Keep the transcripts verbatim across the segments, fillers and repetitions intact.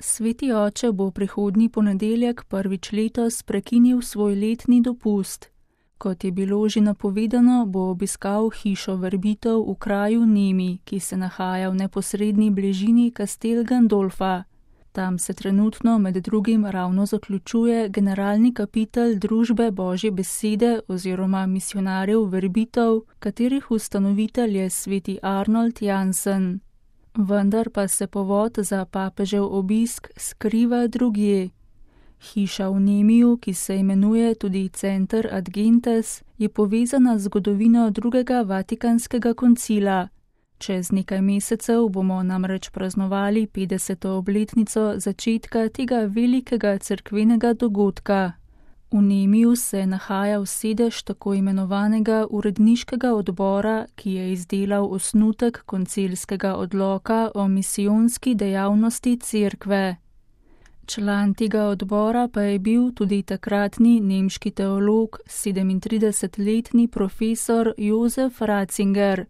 Sveti oče bo prihodnji ponedeljek prvič letos prekinil svoj letni dopust. Kot je bilo že napovedano, bo obiskal hišo Verbitov v kraju Nemi, ki se nahaja v neposredni bližini Castel Gandolfa. Tam se trenutno med drugim ravno zaključuje generalni kapitel Družbe Božje besede oziroma misijonarjev Verbitov, katerih ustanovitelj je sveti Arnold Jansen. Vendar pa se povod za papežev obisk skriva drugje. Hiša v Nemiju, ki se imenuje tudi Center Ad Gentes, je povezana z zgodovino drugega Vatikanskega koncila. Čez nekaj mesecev bomo namreč praznovali petdeseto obletnico začetka tega velikega cerkvenega dogodka. V Nemiju se nahaja sedež tako imenovanega uredniškega odbora, ki je izdelal osnutek koncilskega odloka o misijonski dejavnosti cerkve. Član tega odbora pa je bil tudi takratni nemški teolog, sedemintridesetletni profesor Josef Ratzinger.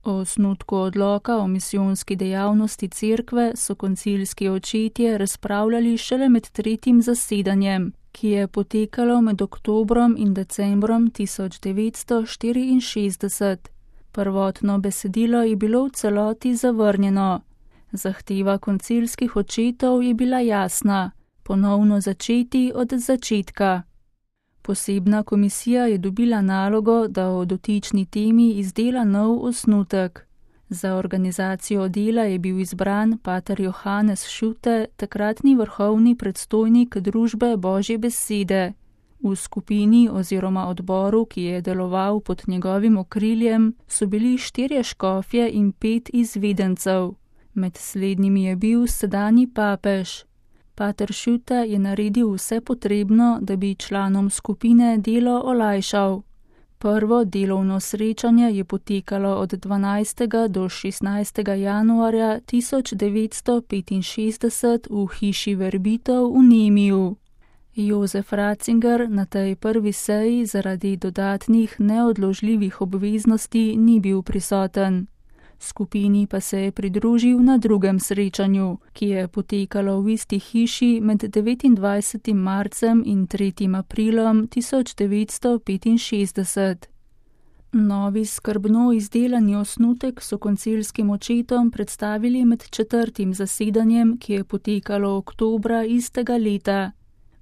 O osnutku odloka o misijonski dejavnosti cerkve so koncilski očetje razpravljali šele med tretjim zasedanjem, ki je potekalo med oktobrom in decembrom tisoč devetsto štiriinšestdeset. Prvotno besedilo je bilo v celoti zavrnjeno. Zahteva koncilskih očetov je bila jasna: ponovno začeti od začetka. Posebna komisija je dobila nalogo, da o dotični temi izdela nov osnutek. Za organizacijo dela je bil izbran pater Johannes Schutte, takratni vrhovni predstojnik Družbe Božje besede. V skupini oziroma odboru, ki je deloval pod njegovim okriljem, so bili štirje škofje in pet izvedencev. Med slednjimi je bil sedanji papež. Pater Schutte je naredil vse potrebno, da bi članom skupine delo olajšal. Prvo delovno srečanje je potekalo od dvanajstega do šestnajstega januarja tisoč devetsto petinšestdeset v hiši Verbitov v Nemiju. Josef Ratzinger na tej prvi seji zaradi dodatnih neodložljivih obveznosti ni bil prisoten. Skupini pa se je pridružil na drugem srečanju, ki je potekalo v isti hiši med devetindvajsetim marcem in tretjim aprilom tisoč devetsto petinšestdeset. Novi skrbno izdelani osnutek so koncilskim očetom predstavili med četrtim zasedanjem, ki je potekalo oktobra istega leta.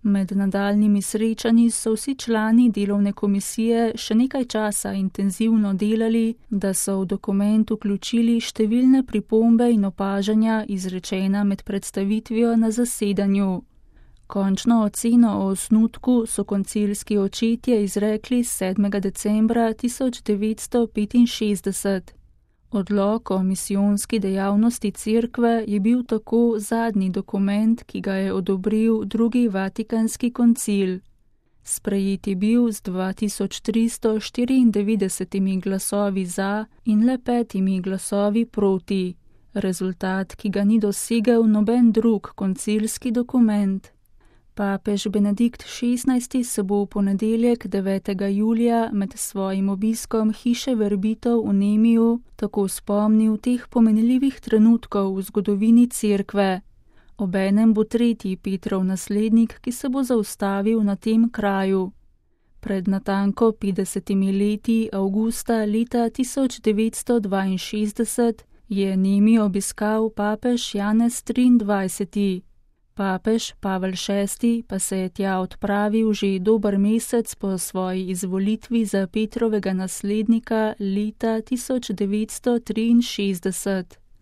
Med nadaljnjimi srečanji so vsi člani delovne komisije še nekaj časa intenzivno delali, da so v dokument vključili številne pripombe in opažanja izrečena med predstavitvijo na zasedanju. Končno oceno o osnutku so koncilski očetje izrekli sedmega decembra tisoč devetsto petinšestdeset. Odlok o misijonski dejavnosti cerkve je bil tako zadnji dokument, ki ga je odobril drugi Vatikanski koncil. Sprejet je bil z dva tisoč tristo štiriindevetdesetimi glasovi za in le petimi glasovi proti, rezultat, ki ga ni dosegel noben drug koncilski dokument. Papež Benedikt šestnajsti se bo v ponedeljek devetega julija med svojim obiskom hiše Verbitov v Nemiju tako spomnil teh pomenljivih trenutkov v zgodovini cerkve. Obenem bo tretji Petrov naslednik, ki se bo zaustavil na tem kraju. Pred natanko petdesetimi leti, avgusta leta tisoč devetsto dvainšestdeset, je Nemi obiskal papež Janez triindvajseti. Papež Pavel šesti pa se je tja odpravil že dober mesec po svoji izvolitvi za Petrovega naslednika leta tisoč devetsto triinšestdeset.